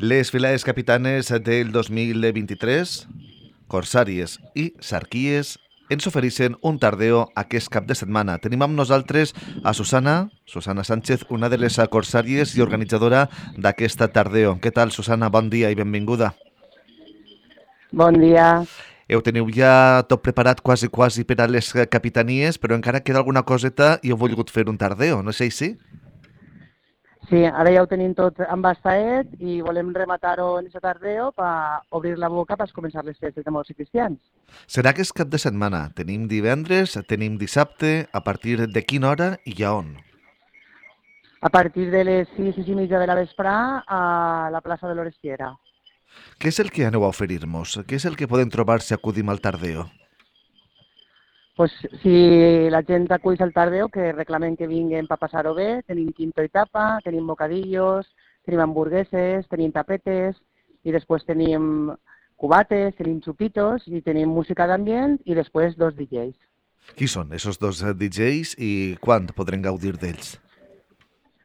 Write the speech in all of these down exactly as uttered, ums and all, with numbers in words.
Les filades capitanes del dos mil vint-i-tres, Corsàries i Sarquies, ens ofereixen un tardeo aquest cap de setmana. Tenim amb nosaltres a Susana, Susana Sánchez, una de les corsàries i organitzadora d'aquesta tardeo. Què tal, Susana? Bon dia i benvinguda. Bon dia. Heu teniu ja tot preparat quasi, quasi per a les capitanies, però encara queda alguna coseta i heu volgut fer un tardeo, no és així? Sí, ara ja ho tenim tot embastaet i volem rematar-ho en aquest tardeo per obrir la boca per començar les festes de molts cristians. Serà aquest cap de setmana. Tenim divendres, tenim dissabte, a partir de quina hora i a on? A partir de les sis, sis i mitja de la vesprà a la plaça de l'Orestiera. Què és el que aneu a oferir-nos? Què és el que podem trobar si acudim al tardeo? Pues, si la gent acull al tardeo, que reclamen que vinguen per passar-ho bé, tenim quinto i tapa, tenim bocadillos, tenim hamburgueses, tenim tapetes, i després tenim cubates, tenim xupitos, i tenim música d'ambient, i després dos D Js. Qui són esos dos D Js i quan podrem gaudir d'ells?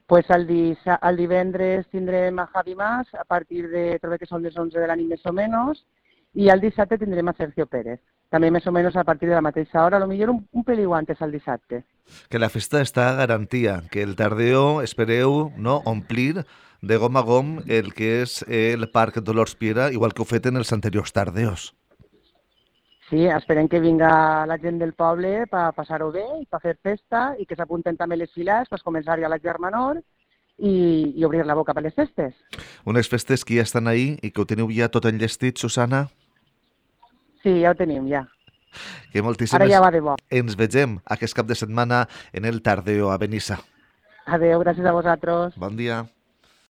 Pues el, disa, el divendres tindrem a Javi Mas a partir de, crec que són les onze de la nit més o menys, i el dissabte tindrem a Sergio Pérez, també més o menys a partir de la mateixa hora, a millor un, un peliu antes el dissabte. Que la festa està a garantia, que el tardeo espereu no omplir de gom a gom el que és el Parc Dolors Piera, igual que ho fet en els anteriors tardeos. Sí, esperem que vinga la gent del poble per passar-ho bé i per fer festa i que s'apunten també les files per començar ja la germanor i, i obrir la boca per les festes. Unes festes que ja estan ahí i que ho teniu ja tot enllestit, Susana? Sí, ja ho tenim, ja. Que moltíssimes... Ara ja va de bo. Ens vegem aquest cap de setmana en el tardeo a Benissa. Adéu, gràcies a vosaltres. Bon dia.